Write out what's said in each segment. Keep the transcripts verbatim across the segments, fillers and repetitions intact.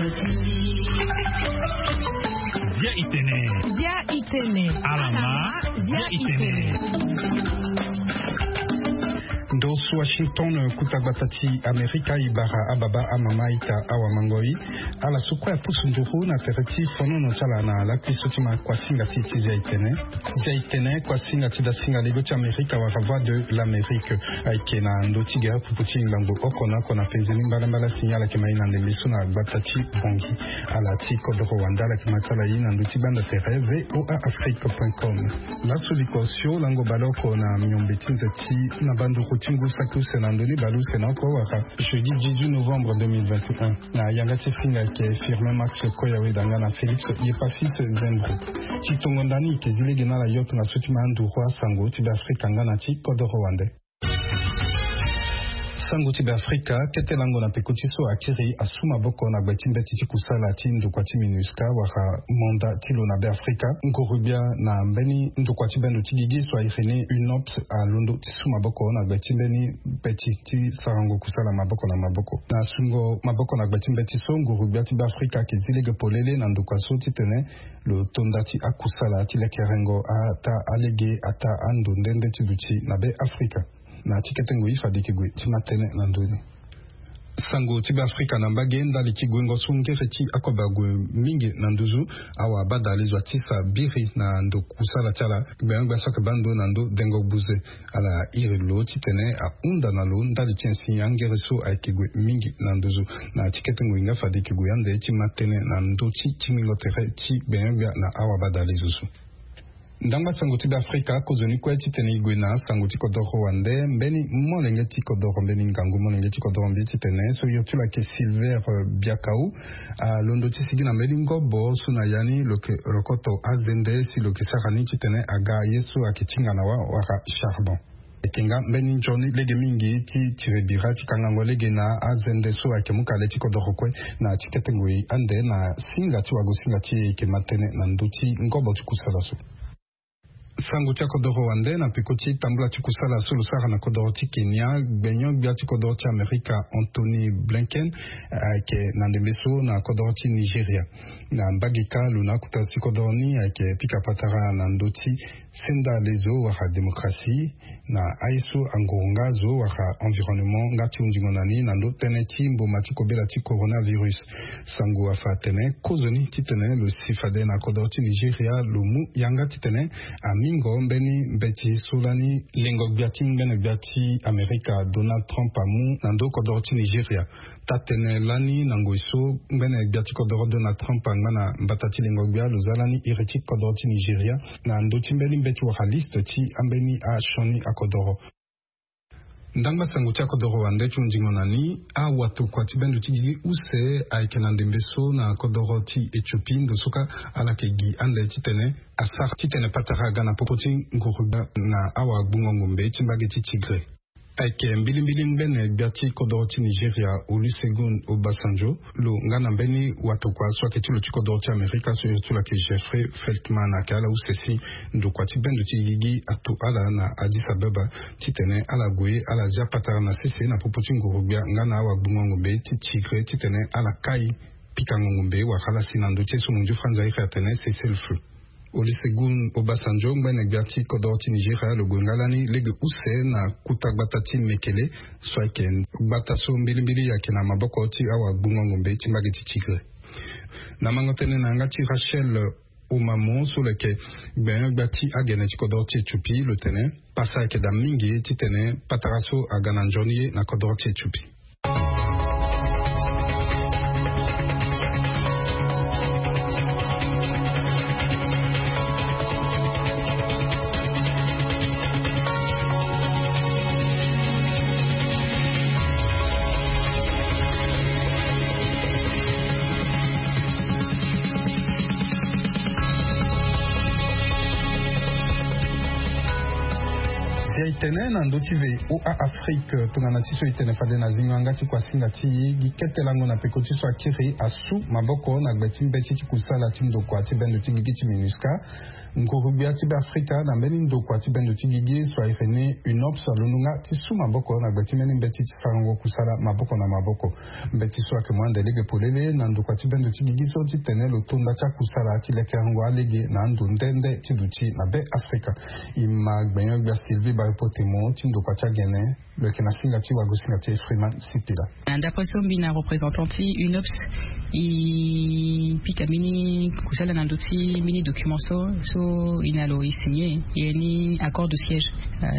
Bia itene. Bia itene. Alama. Bia itene. Ndo so Washington, kuta gbata ti Amerika, e bara ababa, amama, ita, awa mangoi. Ala so kue apusu nduru na tere ti fonono ti ala na lakui so ti ma kuasinga ti ti Zia itene. Zia itene, kuasinga ti dasinga lego ti Amerika wala Voix de l'Amérique. Ayeke na ndo ti gere pupu ti lango oko na oko na penze ni mbalambala. Signal ayeke ma e na ndembe so na gbata ti Bongi. Ala ti kodoro wande ala yeke ma ti ala ye na ndo ti gbanda tere V O A Afrique point com. Laso likua osio lango baleoko na miombe ti nze ti na banduru ti ngu saki use na ndo ni baleuse na oko wala jeudi dix-huit novembre deux mille vingt et un. Na yanga ti finga ayeke Firmin Max Koyaweda nga na Félix Yepasis Zembro. Ti tongo ndani e yeke zi lege na ala yo tongaso ti ma nduru asango ti Beafrika nga na ti kodoro wande. Sango ti Beafrika, kete lango na peko ti so akiri asu maboko na gbe ti mbeti ti kusala ti ndokua ti MINUSCA wala manda ti lo na Beafrika. Nguru-gbia na mbeni ndokua ti bendo ti gigi so a iri ni UNOPS alondo ti su maboko na gbe ti mbeni mbeti ti sarango kusala maboko na maboko. Na sungo maboko na gbe ti mbeti so, nguru-gbia ti Beafrika ayeke zi lege polele na ndokua so titene lo to nda ti akusala ti lekerengo ataa alege, ataa ando nde nde ti duti na Beafrika. Na ti kete ngoi fade e yeke gue ti ma tënë na ndö ni. Sango ti Beafrika na mbage, ndali ti guengo so ngere ti akobe ague mingi na nduzu, awabadalezo atisa biri na ndo kusala ti ala, gbenyo-gbia so ayeke baa ndo na ndo dengo gbuze. Ala iri lo titene ahunda na lo ndali ti insi angere so ayeke gue mingi na nduzu. Na ti kete ngoi nga fade e yeke gue ande ti ma tënë na ndö ti tingbingo tere ti gbenyo-gbia na awabadalezo so. Ndangba sango ti Beafrika, kozoni kue titene e gue na sango ti kodoro wande, mbeni molenge ti kodoro, mbeni ngangu molenge ti kodoro mbi titene so iri ti lo ayeke Silver, eh, Biakau, alondo ti sigi na mbeni ngobo so na ya ni lo yeke rokoto azende si lo yeke sara ni titene aga ye so ayeke tinga na wa wala charbon. Ayeke nga mbeni nzoni lege mingi ti tiri bira ti kangango lege na azende so ayeke mu kale ti kodoro kue. Na ti kete ngoi ande na singa ti wagosinga ti e e yeke ma tënë na ndö ti ngobo ti kusala so. Sango ti akodoro wande na peko ti tambula ti kusala so lo sara na kodoro ti Kenya, gbenyo-gbia ti kodoro ti Amerika Antony Blinken ayeke na ndembe so na kodoro ti Nigeria. Na mbage kâ lo na akota ti kodoro ni ayeke pika patara na ndö ti senda lezo wala démocratie, na aye so anguru nga zo wala environnement nga ti hundingo na ni na ndo tënë ti mboma ti kobela ti coronavirus. Sango afa atene kozoni titene lo si fade na kodoro ti Nigeria lo mu yanga titene amingo mbeni mbeti so lani lengo-gbia ti ngbene-gbia ti Amerika Donald Trump amu na ndo kodoro ti Nigeria. Taa-tënë lani na ngoi so ngbene-gbia ti kodoro Donald Trump angba na mbata ti lengo-gbia, lo za lani iri ti kodoro ti Nigeria na ndö ti mbeni mbeti wala liste ti ambeni asioni akodoro. Ndangba sango ti akodoro wande ti hundingo na ni, awatokua ti bendo ti gigi use ayeke na ndembe so na kodoro ti Éthiopie, ndo so kâ ala yeke gi ande titene asara titene patara aga na popo ti nguru-gbia na awagbungo-ngombe ti mbage ti Tigré. Ayeke mbilimbili ngbene-gbia ti kodoro ti Nigeria Olusegun Obasanjo, lo nga na mbeni watokua so ayeke ti lo ti kodoro ti Amerika so iri ti lo ayeke Jeffrey Feltman ayeke ala use si ndokua ti bendo ti gigi ato ala na Addis Abeba titene ala gue ala zia patara na sese na popo ti nguru-gbia nga na awagbungo-ngombe ti Tigré titene ala kai pikango ngombe wala ala si na ndö ti ye so mondio franza iri atene cessez-le-feu. Olusegun Obasanjo ngbene-gbia ti kodoro ti Nigeria lo gue nga lani lege use na kuta gbata ti Mekele so ayeke gbata so mbilimbili ayeke na maboko ti awagbungo-ngombe ti mbage ti Tigré. Na mango tënë na yanga ti Rachel Omamo so lo yeke gbenyo-gbia ti agene ti kodoro ti Éthiopie, lo tene pasa ayeke daa mingi titene patara so aga na nzoni ye na kodoro ti Éthiopie. E tene na ndö ti ve oa afrique tongana ti so e tene fade na zingo yanga ti kuasinga ti gi kete lango na peko ti so akiri asu maboko na gbe ti mbeti ti kusala ti ndokua ti bendo ti gigi ti minusca. Nguru-gbia ti be afrika na mbeni ndokua ti bendo ti gigi so airi ni unops alondo nga ti su maboko na gbe ti mbeni mbeti ti sarango kusala maboko na maboko. Mbeti so ayeke mu ande lege polele na ndokua ti bendo ti gigi so titene lo to nda ti akusala ti lekerengo alege na ando nde nde ti duti na be afrika. E ma gbenyo-gbia sylvie baipotemo ti ndokua ti agene. Lo yeke na singa ti wago singa ti efriman sipila. Na ndapre so mbi na représentant ti unops e pika mbeni kusala na ndö ti mbeni document so so e na lo e signe e ye ni accord de siège.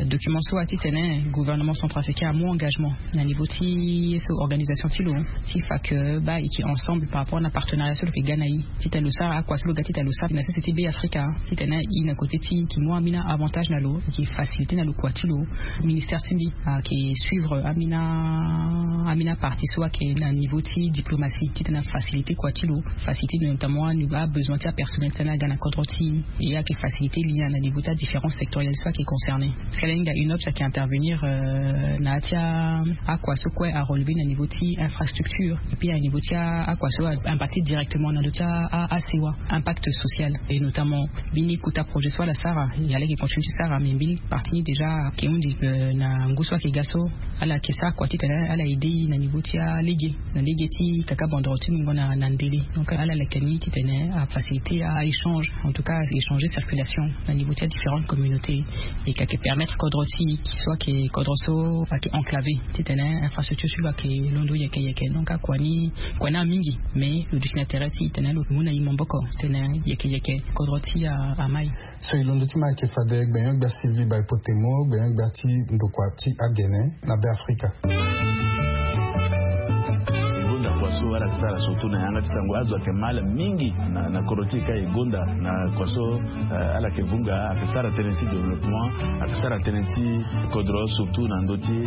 Document so atitene gouvernement centrafricain amu engagement na niveau ti ye so organisation ti lo ti fa ke ba e ke ensemble par rapport na partenariat so lo ke ga na e titene lo sara akua so lo ga titene lo sara na sese ti be afrika titene e na kote ti e ke mu ambeni avantage na lo e ke facilite na lo kua ti lo. Ministère ti mbi ayeke suivre ambeni partie so ayeke na niveau ti diplomatie titene afacilite kua ti lo facilite notamment abesoin ti apersonnel titene aga na kodro ti e e ayeke facilite lien na niveau ti adifférence sectorielle so ayeke concerné. Parce que ala hinga unops ayeke intervenir na ya ti akua so kue arelever na niveau ti infrastructure et puis na niveau ti akua so impacte directement na ndö ti asewa impact social. Et notamment mbeni kota projet so ala sara e ala yeke continue ti sara mais mbeni partie ni déjà ayeke hundi na ngu so ayeke ga so ala yeke sara kua titene ala aide e na niveau ti alege na lege ti kaka bandoro ti mungo na ndele. Donc ala leke ni titene afacilite a échange en tout cas échanger circulation na niveau ti adifférente communauté. E ka yeke permettre kodro ti e so ayeke kodro so ayeke enclavé titene infrastructure ti lo ayeke londo yeke yeke donc akua ni kua ni amingi. Mais lo duti na tere ti e tene lo mu na e maboko titene yeke yeke kodro ti e ama e. So e londo ti ma ayeke fade gbenyo-gbia sylvie baipotemo gbenyo-gbia ti ndokua ti agene na be afrika. E gonda kua so ala yeke sara surtout na yanga ti sango azo ayeke ma ala mingi na kodro ti e ka e gonda na kua so ala yeke vunga ayeke sara tënë ti développement ayeke sara tënë ti kodro surtout na ndö ti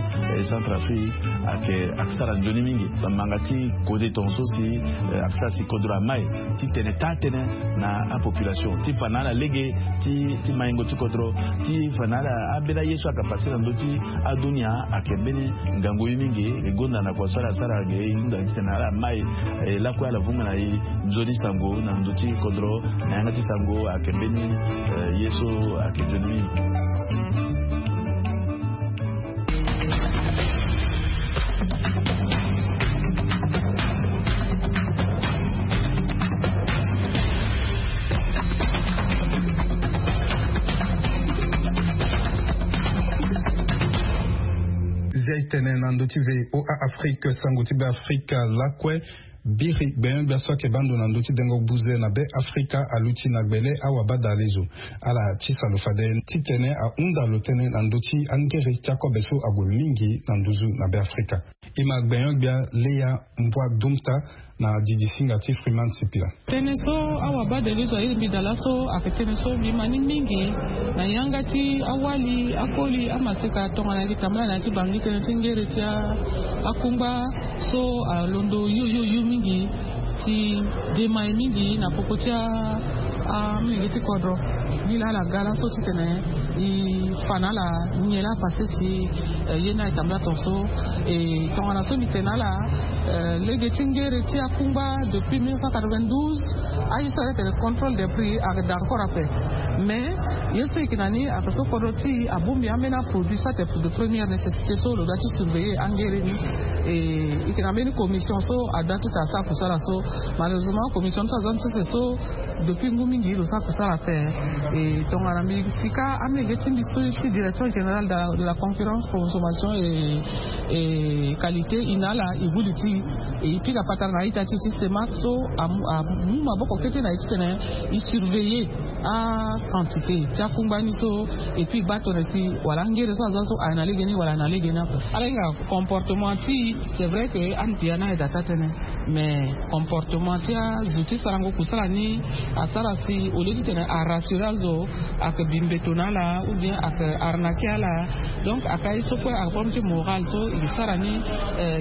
centrafrique. Ayeke ayeke sara nzoni mingi bamanga ti kode tonga so si ayeke sara si kodro ama e titene taa tënë na apopulation ti fa na ala lege ti maingo ti kodro ti fa na ala ambeni aye so ayeke pase na ndö ti adunia. Ayeke mbeni ngangu ye mingi e gonda na kua so ala sara ge e hunda titene ala ma e lakue ala vunga na e nzoni sango na ndö ti kodro na yanga ti sango ayeke mbeni ye so ayeke nzoni mingi. Zia e tene na ndö ti ve oa afrike sango ti be afrika lakue. Biri gbenyo-gbia so ayeke baa ndo na ndö ti dengo buze na be afrika aluti na gbele awabadalezo. Ala tisa lo fade titene ahunda lo tënë na ndö ti angere ti akobe so ague mingi na nduzu na be afrika. E ma gbenyo-gbia leya mbua dumta na didi singa ti freeman sipila. Tënë so awabadalezo aye mbi daa laso ayeke tënë so mbi ma ni mingi na yanga ti awali akoli amaseka tongana e ke tambala na ya ti bangi tënë ti ngere ti akungba so alondo yoyoyo mingi ti dema e mingi na popo ti amolenge ti kodro. Nilaa ala ga laso titene e fa na ala nyen laa pase si ye ni ayeke tambula tongaso. E tongana so mbi tene na ala lege ti ngere ti akungba depuis mille neuf cent quatre-vingt-douze. Aye so ayeke tene contrôle des prix ayeke daa encore ape. Mais ye so e yeke na ni ayeke so kodro ti e abongbi ambeni aproduit so ayeke de première nécessité so lo doit ti surveiller angere ni. E yeke na mbeni commission so adoit ti tene asara kusala so. Malheureusement commission ni so aza ni sese so depuis ngu mingi lo sara kusala ape. E tongana mbi sika amolenge ti mbi so ti direction générale de la concurrence consommation et qualité e na ala e hudi ti e e pika patara na a-ita ti e ti stemak so amu maboko kete na e titene e surveiller aquantité ti akungba ni so. Et puis e baa tongana si wala angere so aza so aye na lege ni wala aye na lege ni ape. Ala hinga comportement ti e c'est vrai que ande ti ya ni aye daa taa tënë. Mais comportement ti azo ti sarango kusala ni asara si au lieu titene arassurer azo ayeke bi mbeto na ala ou bien ayeke arnaquer ala. Donc ayeke aye so kue ayeke problème ti moral so e sara ni.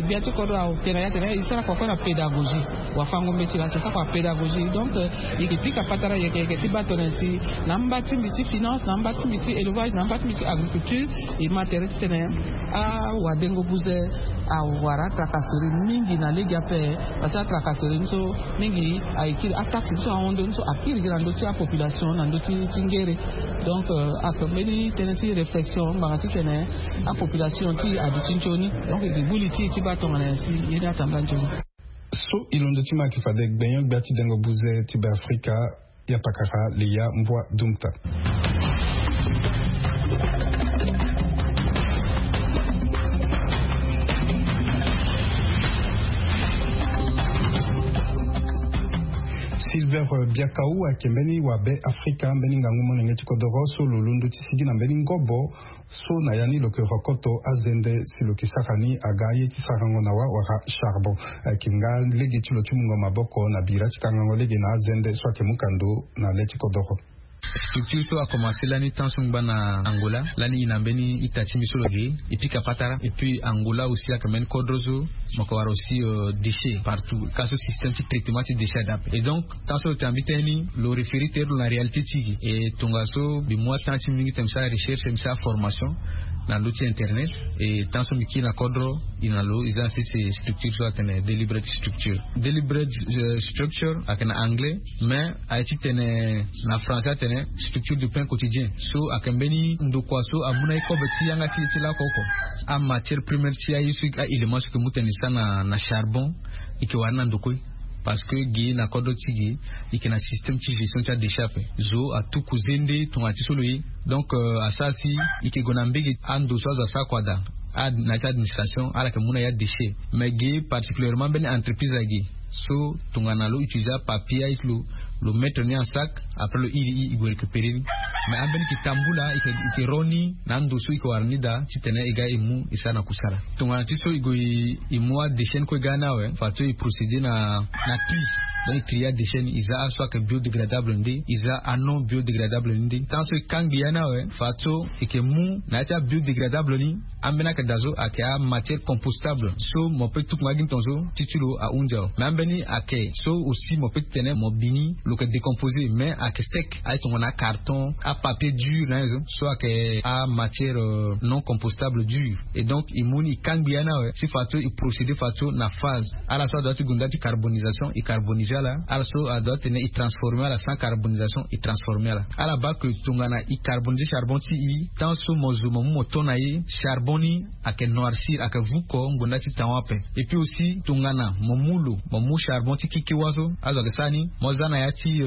Gbia ti kodro ayeke na ya tene e sara kua kue na pédagogie. Wafango mbeti na ti sara kua pédagogie donc e yeke pika patara yeke yeke ti baa tongana Si na mba ti mbi ti finance, na mba ti mbi ti élevage, na mba ti mbi ti agriculture, e ma tere titene awadengo buze awara atracasserie mingi na lege ape. Parce que atracasserie ni so mingi aye kiri, ataxe ni so ahon ndö ni so akiri gi na ndö ti apopulation na ndö ti ngere. Donc ayeke mbeni tënë ti réflexion ngbanga titene apopulation ti e aduti nzoni. Donc e gi gbu li ti e ti baa tongana nyen si ye ni atambula nzoni. So e londo ti ma ayeke fade gbenyo-gbia ti dengo buze ti Beafrika, ya pakara Leya Mbua Dumta. Silver Biakau ayeke mbeni wabe Afrika, mbeni ngangu molenge ti kodoro so lo londo ti sigi na mbeni ngobo so na ya ni lo yeke rokoto azende si lo yeke sara ni aga aye ti sarango na wa wala charbon. Ayeke nga lege ti lo ti mungo maboko na bira ti kangango lege na azende so ayeke mu kando na le ti kodoro. Structure so akomanse lani temps so ngba na Angola, lani e na mbeni ita ti mbi so lo ge e pika patara. Et puis Angola aussi ayeke mbeni kodro so mo yeke wara aussi déchet partout, ka so système ti traitement ti déchet adape. Et donc temps so lo tene na mbi tënë ni, lo référer tere lo na réalité ti e. E tongaso mbi mu atemp ti mbi mingi tene mbi sara recherche, mbi sara formation na ndö ti internet. E temps so mbi kiri na kodro, e na lo e za na sese structure so atene deliberate structure. Deliberate structure ayeke na anglais, mais aye titene na français atene structure du pain quotidien. So ayeke mbeni ndokua so amu na ye kobe ti yanga ti e ti laoko oko. Amatière première ti aye so, aélément so e yeke mu tene e sara na charbon, e yeke wara ni na ndo kue. Parce que ge na kodro ti ge e yeke na système ti gestion ti adéchet ape. Zo atuku zende tongana ti so lo ye. Donc asara si e yeke gue na mbege, ando so azo asara kua daa, na ya ti administration ala yeke mu na ya déchet. Mais ge particulièrement mbeni entreprise age so tongana lo utiliser apapier aye ti lo, lo mettre ni en sac, après lo iri e gue récupérer ni. Mais ambeni e yeke tambula, e yeke ro ni na ando so e yeke wara ni daa titene e ga e mu e sara na kusala. Tongana ti so e gue e mu adéchet ni kue e ga ni awe, fato e procéder na na tri. Donc e trie adéchet ni, e za aso ayeke biodégradable ni nde, e za anon biodégradable ni nde. Tant so e kangbi ya ni awe, fato e yeke mu na ya ti abiodégradable ni, ambeni ayeke daa so ayeke amatière compostable so mo peut tuku nga gi ni tongaso ti ti lo ahunzi awe. Mais ambeni ayeke so aussi mo peut ti tene mo bi ni, lo yeke décomposer mais ayeke sec, aye tongana acarton, apapier dur na ye so, so ayeke amatière non compostable dur. Et donc e mu ni e kangbi ya ni awe si fato e procéder fato na phase. Ala so adoit ti gue ndali ti carbonisation e carboniser ala. Ala so adoit tene e transformer ala sans carbonisation e transformer ala. Ala baa que tongana e carboniser charbon ti e, tant so mo zo mo mu mo to na ye, charbon ni ayeke noircir, ayeke vuko ngbonda ti taon ape. Et puis aussi tongana mo mu lo, mo mu charbon ti keke wa so azo ayeke sara ni, mo za na ya ti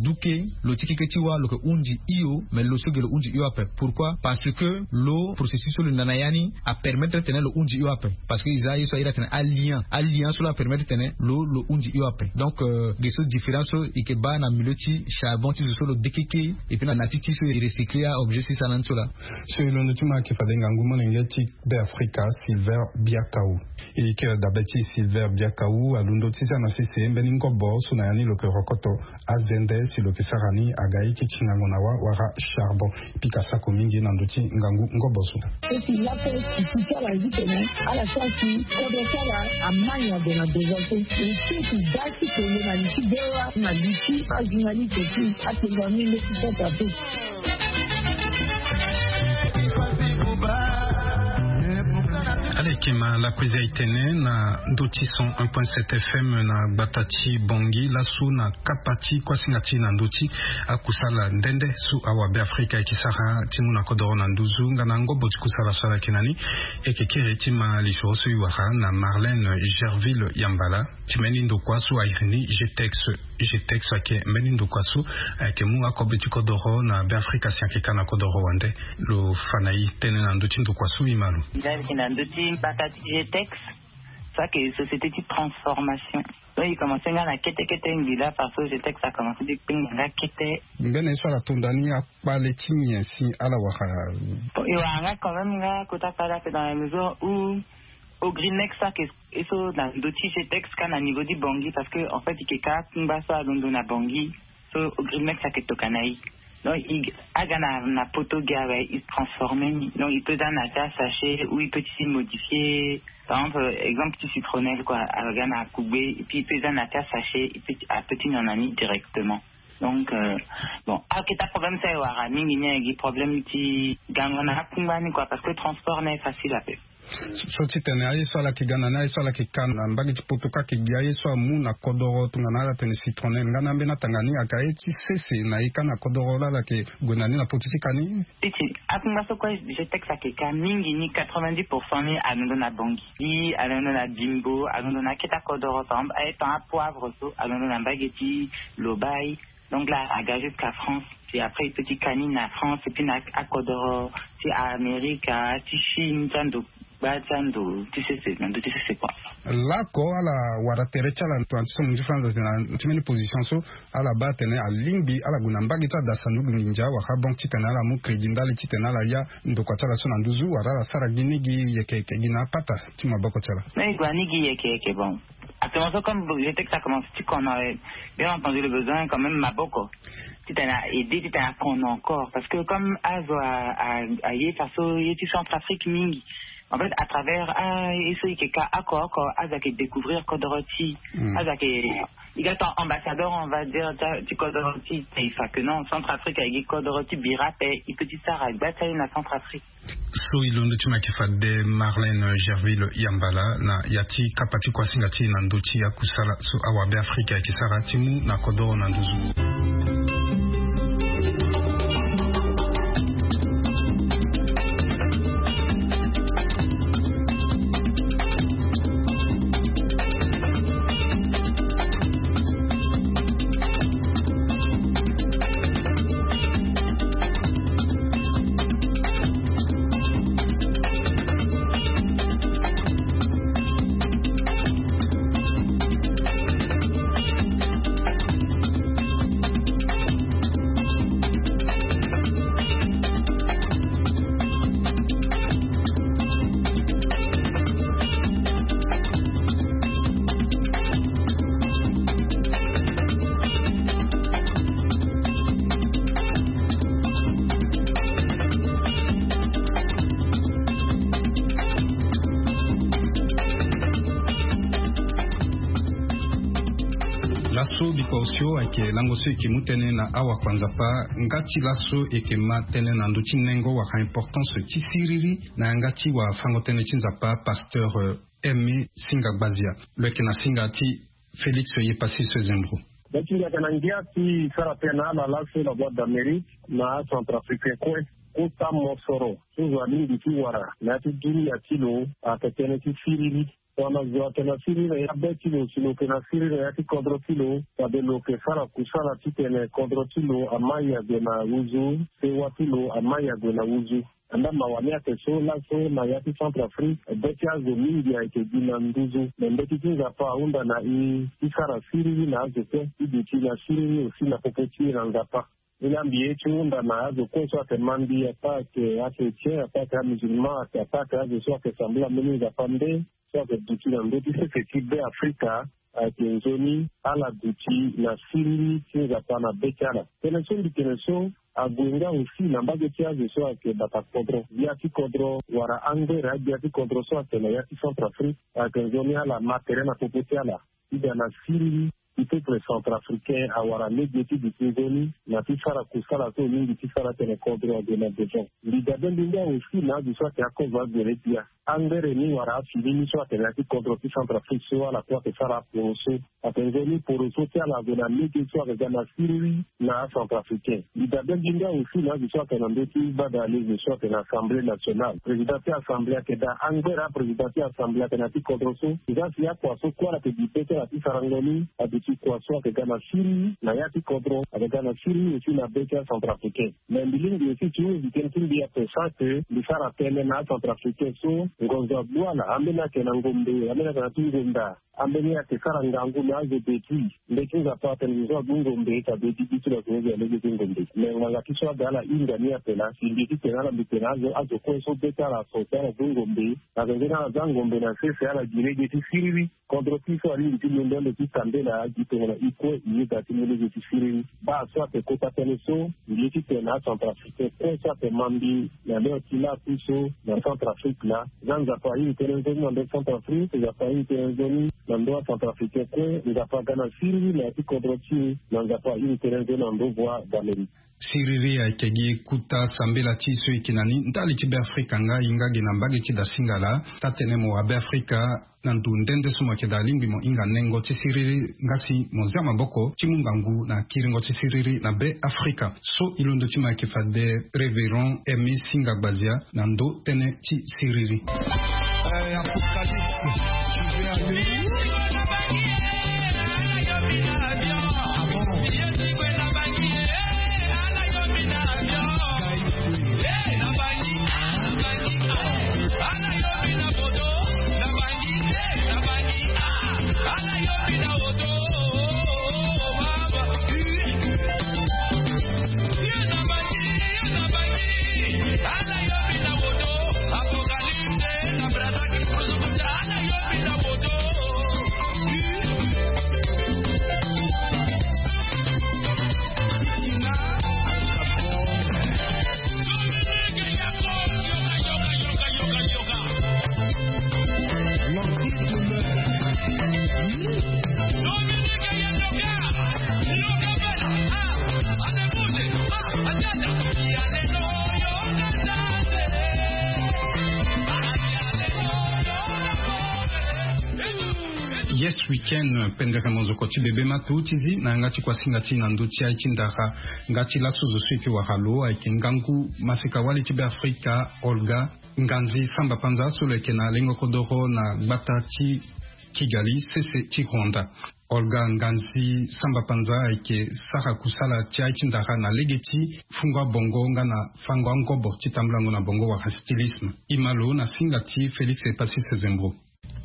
duke, lo ti keke ti wa lo yeke hunzi hio, mais lo so ge lo hunzi hio ape. Pourquoi? Parce que lo processus so lo nda na ya ni apermettre tene lo hunzi hio ape. Parce que e za ye so aye atene alien, alien so lo apermettre tene lo lo hunzi hio ape. Donc ge so différence so e yeke baa na milieu ti charbon ti zo so lo dekeke, et puis na na ti ti so e recycler aobjet so e sara na ni so laa. So e londo ti ma ayeke fade ngangu molenge ti Beafrika, Silver Biakau. E yeke dabe ti Silver Biakau alondo ti za na sese mbeni ngobo so na ya ni lo yeke rokoto azende si lo yeke sara ni aga ye ti ti ngangu na wa wala charbon. Pika sako mingi na ndö ti ngangu ngobo so. Eti lape ti ti ti ala zi tene ala sara ti kodro ti ala amai na ndo na deza so. E ti ti da ti tene na li ti bewa na li ti ajournaliste ti atengo amenge ti pota pe. Ala yeke ma lakue eza e tene na ndö ti cent un point sept F M na gbata ti Bangui laso na kapa ti kuasinga ti na ndö ti akusala nde nde so awabe Afrika ayeke sara ti mu na kodoro na nduzu nga na ngobo ti kusala so ala yeke na ni. E yeke kiri ti ma lisoro so e wara na Marlène Gerville Yambala. Ti mbeni ndokua so a iri ni Getex. Getex ayeke mbeni ndokua so ayeke mu akobe ti kodoro na Beafrika si ayeke ka na kodoro wande. Lo fa na e tënë na ndö ti ndokua so e ma lo. Nda e yeke na ndö ti mbata ti Getex. So ayeke société ti transformation. Donc e commencé nga na kete kete ngbila parce que Getex a commencé ti kpengba nga kete. Mbeni ye so ala tonda ni akpale ti nyen si ala wara? Bon, e wara nga quand même nga kota kpale ape dans la mesure où Ogrinex so ayeke e so na ndö ti Getex ka na niveau ti Bangui parce que en fait e yeke ka akungba so alondo na Bangui. So Ogrinex ayeke tokua na e. Donc e aga na poto gi awe e transformer ni. Donc e peut za na ya ti asachet ou e peut ti modifier. Par exemple exemple ti citronnelle quoi, aga na akugbe et puis e peut za na ya ti asachet, e peut ti nyon na ni directement. Donc, bon, aketa problème so e wara mingi ni ayeke gi problème ti gango na akungba ni kua parce que transport ni aye facile ape. So titene aye so ala yeke ga na ni aye so ala yeke ka na mbage ti poto ka ayeke gi aye so amu na kodoro tongana ala tene citronel nga na ambeni atanga ni ayeke aye ti sese na ye ka na kodoro laa ala yeke gue na ni na potu ti ka ni. Titi akungba so kue je texte ayeke ka mingi ni quatre-vingt-dix pour cent ni alondo na bongi, alondo na bimbo, alondo na aketa kodoro par exemple aye tan apoivre so alondo na mbage ti lobai. Donc là aga jusqu'à France. Puis après il peut ti kani na France et puis na akodoro ti amerika ti chine ti ando gba ti ando ti sese na ndo ti sese kua. Lako ala wara tere ti ala tongana ti so mo nzi france na ti mbeni position so ala baa atene alingbi ala gue na mbage ti ada sanduku nginza wala banque titene ala mu crédit ndali titene ala ya ndokua ti ala so na nduzu wala ala sara gi ni gi yeke yeke gi na apata ti maboko ti ala. Mais e gue ani gi yeke yeke bon. Actuellement so comme je texte a commence ti kono. Bien entendu le besoin quand même maboko titene a aide titene a kono encore parce que comme azo aye faso ye ti centrafrique mingi. En fait à travers aye so eke ka oko oko azo ake découvrir kodoro ti azo ake i ga ton ambassadeur on va dire ti kodoro ti taifa que non centrafrique ayeke kodoro ti bira ape. I peut ti sara gba ti aye na centrafrique. So e londo ti mo ayeke fade marlene gerville yambala na ya ti kapa ti kuasinga ti e na ndö ti akusala so awabe afrika ayeke sara ti mu na kodoro na nduzu. Laso biko osio ayeke lango so eke mu tënë na awakua nzapa. Nga ti laso eke ma tënë na ndö ti nengo wala importance ti siriri na yanga ti wafango tënë ti nzapa pasteur emi singa gbazia. Lo yeke na singa ti félix ye pasi so ezembro. Beti ndia kana ngia ti sara tena ala laso na boite d'amérique na centrafricain kue. Kota mosoro so zo alingbi ti wara na ya ti dunia ti lo. Ake tënë ti siriri. Tongana zo atene asiriri na ya be ti lo si lo yeke na siriri na ya ti kodro ti lo, fade lo yeke sara kusala titene kodro ti lo amai ague na wuzu, sewa ti lo amai ague na wuzu. Anda mawa ni ake so laso na ya ti centrafrique be ti azo mingi ayeke gi na nduzu me mbeti ti nzapa ahunda na e ti sara siriri na azo kue ti duti na siriri aussi na popo ti e na nzapa. Ni la mbi ye ti hunda na azo kue so ayeke ma mbi apa ayeke achrétien apa ayeke amusulman apa ayeke azo so ayeke sambela mbeni nzapa nde so ayeke duti na ndö ti sese ti be afrika. Ayeke nzoni ala duti na siriri ti nzapa na be ti ala. Tene so mbi tene so ague nga aussi na mbage ti azo so ayeke bata kodro gbia ti kodro wala angbere agbia ti kodro so ayeke na ya ti centrafrique. Ayeke nzoni ala ma tere na popo ti ala ti ga na siriri ti peuple centrafricain awara lege ti duti nzoni na ti sara kusala so mingi ti sara tene kodro ague na devant. Mbi dabe mbi nga aussi na azo so ayeke akozo agbere gbia angbere ni wala afini ni so atene ya ti kodro ti centrafrique so ala kue ayeke sara aporo so. Ayeke nzoni poro so ti ala ague na lege so ayeke ga na siriri na acentrafricain. Mbi dabe mbi nga aussi na azo so ayeke na ndö ti bada lege so ayeke na assemblée nationale président ti assemblée ayeke daa angbere aprésident ti assemblée ayeke na ya ti kodro so. Eza si akua so kue ala yeke gi be ti ala ti sarango ni aduti kua so ayeke ga na siriri na ya ti kodro ayeke ga na siriri aussi na be ti acentrafricain. Mais mbi lingbi aussi ti hunzi tënë ti mbi ape sans que mbi sara tënë na acentrafricain so ngonzo agbu ala ambeni ayeke na ngombe ambeni ayeke na ti ngonda. Ambeni ayeke sara ngangu na azo de ti mbe ti nzapa atene zo so agbu ngombe tabe ti bi ti lo atene zo alege ti ngombe. Mais ngbanga ti so aga ala hinga ni ape na si mbi ti tene ala mbi tene azo azo kue so be ti ala aso ti ala gbu ngombe. Azo nzoni ala za ngombe na sese ala gi lege ti siriri. Kodro ti so alingbi ti londo ande ti tambela. Tongana i kue i yeda ti mu lege ti siriri. Baa so ape kota tënë so, mbi ye titene acentrafricain kue so ape ma mbi na leo ti laa kui so na Centrafrique laa, za Nzapa ahinga tënë nzoni na ndö Centrafrique, Nzapa ahinga tënë nzoni na ndö acentrafricain kue, Nzapa aga na siriri na ya ti kodro ti e, na Nzapa ahinga tënë nzoni na ndö voie d'Amérique. Siriri ayeke gi kuta sambela ti so e yeke na ni ndali ti Beafrika nga e hinga ge na mbage ti da singala. Taa-tënë mo wa Beafrika na ndo nde nde so mo yeke daa alingbi mo hinga nengo ti siriri nga si mo zia maboko ti mu ngangu na kiringo ti siriri na Beafrika. So e londo ti mo ayeke fade Révérend Hermé Singa Gbazia na ndo tënë ti siriri. Yes Weekend, pendere monzoko ti bebe ma tu ti zi na yanga ti kuasinga ti na ndö ti aye ti ndara. Nga ti laso zo so e yeke wara lo ayeke ngangu maseka-wali ti Beafrika, Olga Nganzi Samba Panza, so lo yeke na lengo kodoro na gbata ti Kigali, sese ti Rwanda. Olga Nganzi Samba Panza ayeke sara kusala ti aye ti ndara na lege ti fungo abongo nga na fango angobo ti tambulango na bongo wala stylisme. E ma lo na singa ti Félix Epassis Sezembro.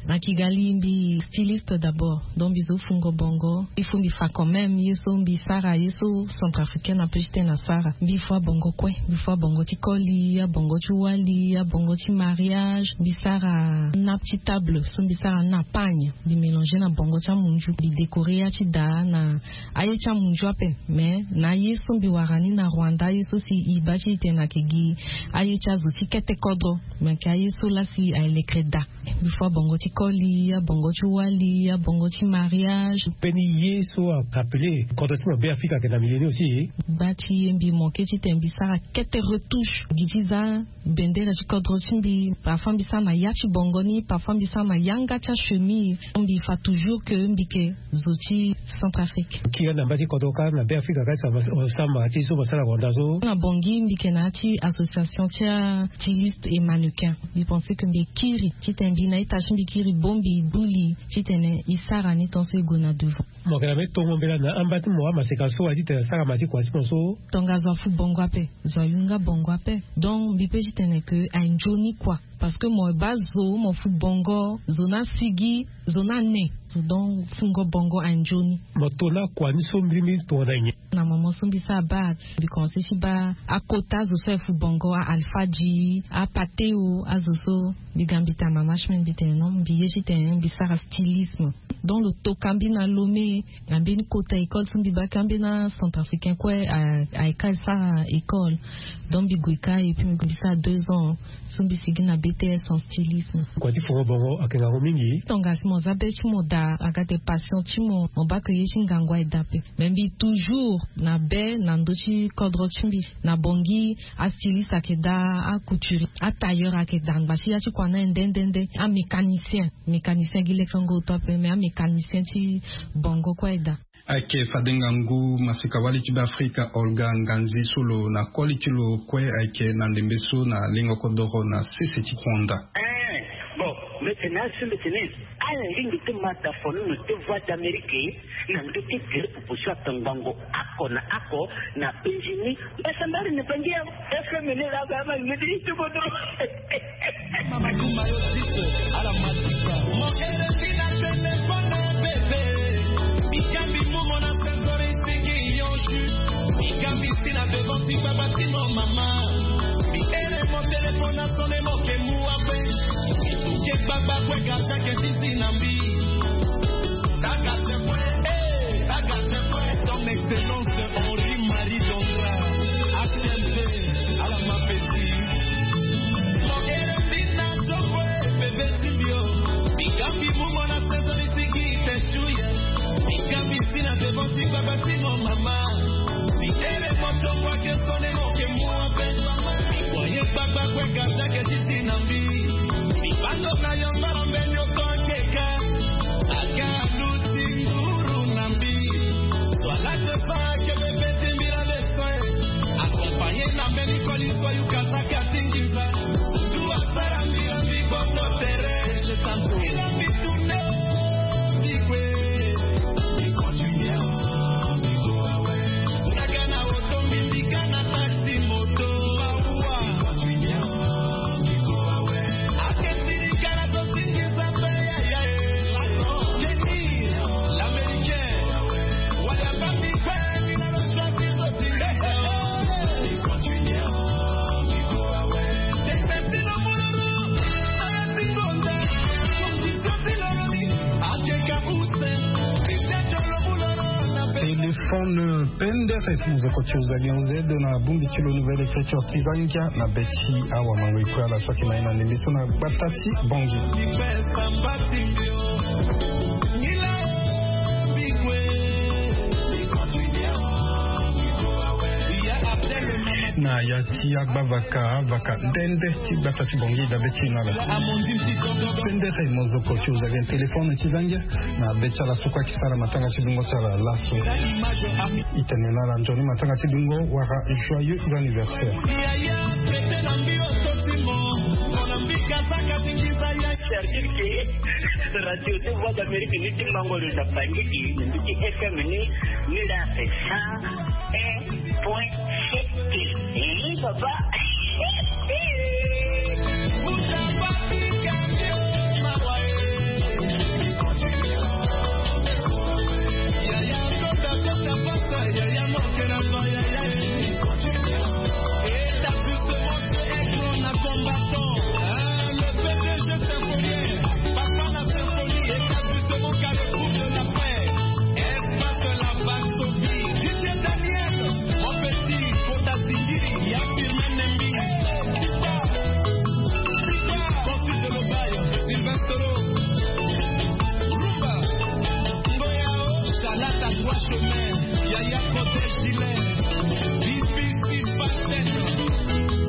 Na Kigali mbi styliste d'abord, donc mbi zo fungo bongo. Il faut mbi fa quand même ye so mbi sara, ye so centrafricaine ape ti tene asara. Mbi fua bongo kue, mbi fua bongo ti koli, abongo ti wali, abongo ti mariage. Mbi sara nappe ti table so mbi sara na pagne, mbi mélanger na bongo ti amunzu, mbi décorer ya ti da na aye ti amunzu ape. Mais na aye so mbi wara ni na Rwanda, aye so si e baa ti e tene ayeke gi aye ti azo ti kete kodro, mais ayeke aye so laa si aye lekere daa. Mbi fua bongo ti koli, abongo ti wali, abongo ti mariage. Mbeni ye so a rappeler kodro ti mo Beafrika ayeke na milieu ni aussi. Gba ti ye mbi manquer titene mbi sara kete retouche gi ti za bendere ti kodro ti mbi. Parfois mbi sara na ya ti bongo ni, parfois mbi sara na yanga ti achemise. Mbi fa toujours que mbi yeke zo ti Centrafrique. Kiri na mba ti kodro kâ na Beafrika kâ, samba ti so mo sara na Rwanda so. Na Bangui mbi yeke na ya ti association ti astyliste et mannequin. Mbi pense que mbi kiri titene mbi na ita ti mbi kiri bongbi, e gbu li titene e sara ni tant so e gue na devant. Mo yeke na mbeni tongo mbela na amba ti mo amaseka so aye titene asara ma ti kua ti mo so. Tongaso afu bongo ape, zo ayunga bongo ape. Donc mbi pe titene que aye nzoni kua. Parce que mo baa zo, mo fu bongo, zo ni asigi, zo ni ane. Zo donc fungo bongo aye nzoni. Mo to na kua ni so mbirimbiri tongana nyen? Na moment so mbi sara bac, mbi commencer ti baa akota azo so aye fu bongo, a Alpha G, a Pateo, azo so. Mbi ga mbi tene na mama ti mbi, mbi tene non, mbi ye titene mbi sara stylisme. Donc lo toka mbi na Lomé, na mbeni kota école so mbi baa ka, ambeni acentrafricain kue a, ayeke asara école. Donc mbi gue ka et puis mbi sara deux ans so mbi sigi na B T S en stylisme. Kua ti fungo bongo ayeke ngangu mingi. Tongana si mo za be ti mo daa, aga daa passion ti mo, mo baa que ye ti ngangu aye daa ape. Mais mbi toujours na be na ndö ti kodro ti mbi. Na Bangui, astyliste ayeke daa, acouturier, atailleur ayeke daa, ngba ti ya ti kua ni aye nde nde nde. Amécanicien, mécanicien gi lekengo to ape, mais amécanicien ti bongo kue aye daa. Ayeke fade ngangu maseka-wali ti Beafrika Olga Nganzi so lo na koli ti lo kue ayeke na ndembe so na lengo kodoro na sese ti Rwanda. Eh, bon, mbi tene na so mbi tene, ala lingbi ti ma dafono na te Voix d'Amérique na ndö ti gere popo so atongbango oko na oko na Bangui. Mbasambari na Bangui awe. F M ni la ba ma ngidi ti bodo. Mama kuma yo siko, ala matuka. Mon R F I na téléphone bébé. Bikambi mumo na sensori siki yonchu. Bikambi si na devant si baba si mon mama. Bi ere mon téléphone na sonne mo ke muwa kwe. Ke baba kwe gardien ke sisi na mbi. Taka te kwe. Eh. Fon pendere mozoko ti ozali onze na bongbi ti lo nouvelle écriture ti zangia na be ti awa mango ikue ala so ayeke ma ye na ndembe so na gbata ti bongi. Na ya ti agba vaka vaka ndende ti gbata ti bongi dabe ti na lo. Pendere mozoko ti ozali téléphone ti zangia na be ti ala so kue ayeke sara matanga ti lungo ti ala laso. E tene na ala nzoni matanga ti lungo wala joyeux anniversaire. Radio de Voix d'Amérique ni ti mango lo na bangiki ni ti F M ni ni la c'est ça. Point. Papa. Espace La Vache Sophie, J J Daniel, mon petit, Kota Singiri, ya Firmin Nembi, Tipa, Tipa, Consul de Lobaye, Sylvestre, Rumba, Ngoyao, Salata, Trois Chemins, Yaya Côté Gilet, B B C Fashion,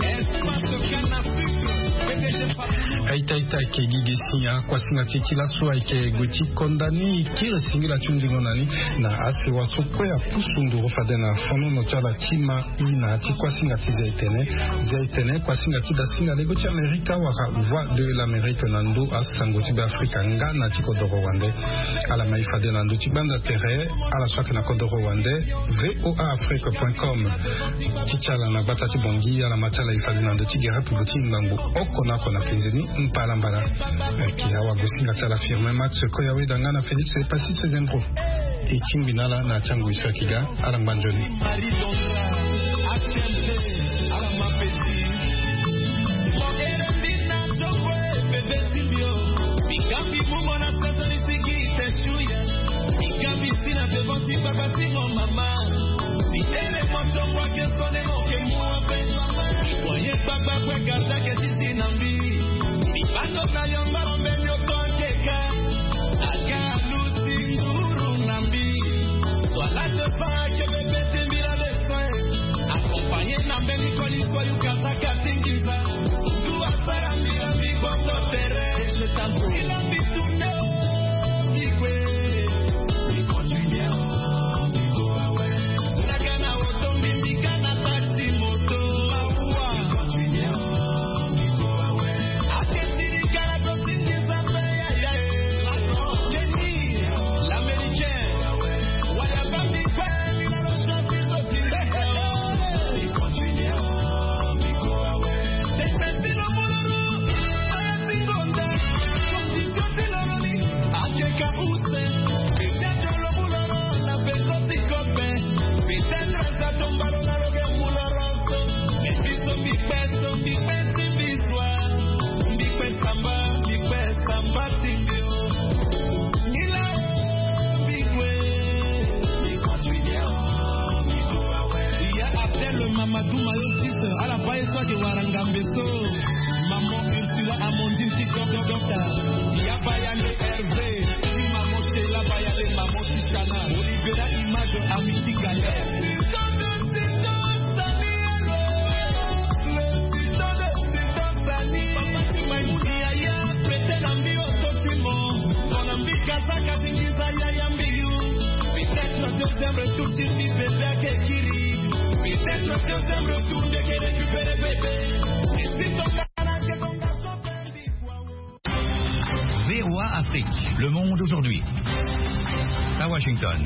Espace Canne à Sucre, P D G Fabrice. Aita aita ayeke gi ge si akuasinga ti e ti laso ayeke gue ti konda ni kiri singila ti hunzingo na ni na asewa so kue apusu nduru fade na fonono ti ala ti ma i na ya ti kuasinga ti Zia Etene. Zia Etene, kuasinga ti dasinga lego ti Amerika wala Voix de l'Amérique na ndö asango ti Beafrika nga na ti kodoro wande. Ala ma e fade na ndö ti gbanza tere ala so ayeke na kodoro wande, V O A Afrique point com. Ti ti ala na gbata ti Bangui, ala ma ti ala e fade na ndö ti gere pupu ti ngangu oko na oko na fenze ni mbala mbala. Ayeke awa gosinga ti ala Firmin Max Koyaweda nga na Félix Epassis Sezendro. E tingbi na ala na ya ti angoi so ayeke ga. Ala ngba nzoni. Migambi si na devant ti papa ti mon mama. Mi tene mo tongwa ke sone mo ke mua pe. Mi kue ye gbagba kue kata ke sisi na mbi. Mi bando na yo ngoro mbe mioto akeka. Aga luti nguru na mbi. Twala te pa ke bebe ti mbi la le soin. Accompagné na mbeni koli koli kata katingi. Mamadou Mayosis, ala baa ye so ayeke wara ngambe so. Maman Ursula Amandine ti Gogogota. Ya baa ya nde Hervé. Ti maman Sheila baa ya nde maman Tishana. Olivera Image Amitié Galère. Papa ti Maimouna yaya, pete na mbi oto ti mo. Mo na mbi kazaka ti nginza yaya mbi yu. Peut-être deuxième retour ti mbi bébé ake kiri. Peut-être deuxième retour nde ke récupérer bébé. Et si ton gars na ke ton garçon fait mbi kwa wo. V O A Afrique, le monde aujourd'hui. À Washington.